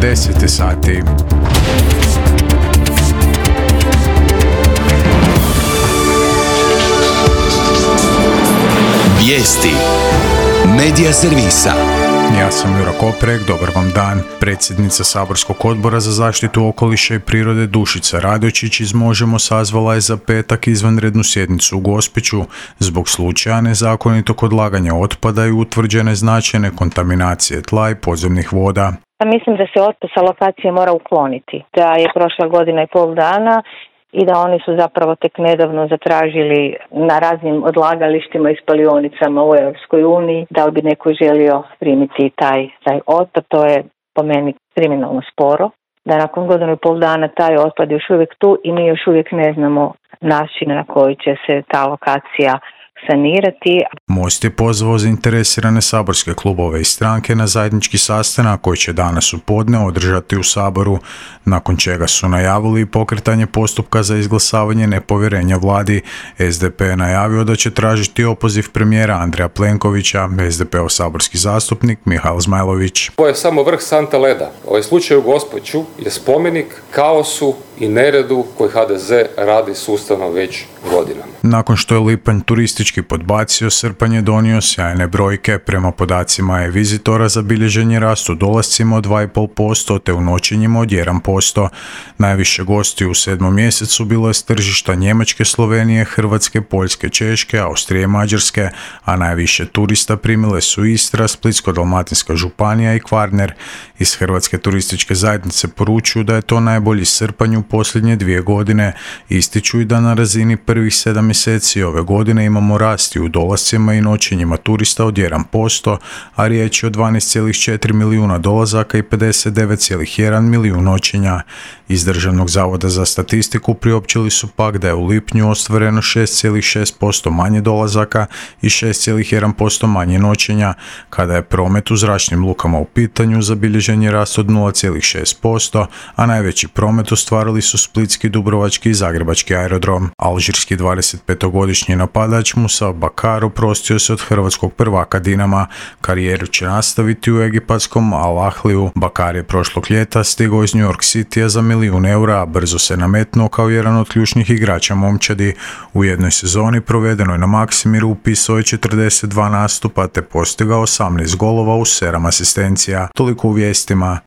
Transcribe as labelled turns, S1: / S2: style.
S1: 10 sati.
S2: Vijesti Medija servisa.
S1: Ja sam Jura Koprek, dobar vam dan. Predsjednica Saborskog odbora za zaštitu okoliša i prirode Dušica Radojčić iz Možemo sazvala je za petak izvanrednu sjednicu u Gospiću zbog slučaja nezakonitog odlaganja otpada i utvrđene značajne kontaminacije tla i podzemnih voda.
S3: Mislim da se otpad sa lokacije mora ukloniti, da je prošla godina i pol dana i da oni su zapravo tek nedavno zatražili na raznim odlagalištima i spalionicama u Europskoj uniji da li bi neko želio primiti taj otpad. To je po meni kriminalno sporo, da nakon godinu i pol dana taj otpad je još uvijek tu i mi još uvijek ne znamo način na koji će se ta lokacija sanirati.
S1: Most je pozvao zainteresirane saborske klubove i stranke na zajednički sastanak koji će danas u podne održati u Saboru, nakon čega su najavili pokretanje postupka za izglasavanje nepovjerenja vladi. SDP je najavio da će tražiti opoziv premijera Andreja Plenkovića, SDP-ov saborski zastupnik Mihael Zmajlović.
S4: Ovo je samo vrh sante leda. Ovaj slučaj u Gospiću je spomenik kaosu i neredu koji HDZ radi sustavno već godinama.
S1: Nakon što je lipanj turistički podbacio, srpanj je donio sjajne brojke. Prema podacima e-vizitora zabilježen je rast u dolascima od 2,5% te u noćenjima od 1%. Najviše gosti u 7. mjesecu bilo je s tržišta Njemačke, Slovenije, Hrvatske, Poljske, Češke, Austrije i Mađarske, a najviše turista primile su Istra, Splitsko-dalmatinska županija i Kvarner. Iz Hrvatske turističke zajednice poručuju da je to najbolji srpanj u posljednje 2 godine. Ističu i da na razini prvih 7 mjeseci ove godine imamo rast u dolascima i noćenjima turista od 1%, a riječ je o 12,4 milijuna dolazaka i 59,1 milijun noćenja. Iz Državnog zavoda za statistiku priopćili su pak da je u lipnju ostvareno 6,6% manje dolazaka i 6,1% manje noćenja. Kada je promet u zračnim lukama u pitanju, zabilježen je rast od 0,6%, a najveći promet ostvarili su splitski, dubrovački i zagrebački aerodrom. Alžirski 25-godišnji napadač Musa Bakar oprostio se od hrvatskog prvaka Dinama. Karijeru će nastaviti u egipatskom Al Ahliju. Bakar je prošlog ljeta stigao iz New York Citya za $1 milijun, a brzo se nametnuo kao jedan od ključnih igrača momčadi. U jednoj sezoni provedenoj na Maksimiru upisao je 42 nastupa te postigao 18 golova uz 7 asistencija. Toliko u vijestima.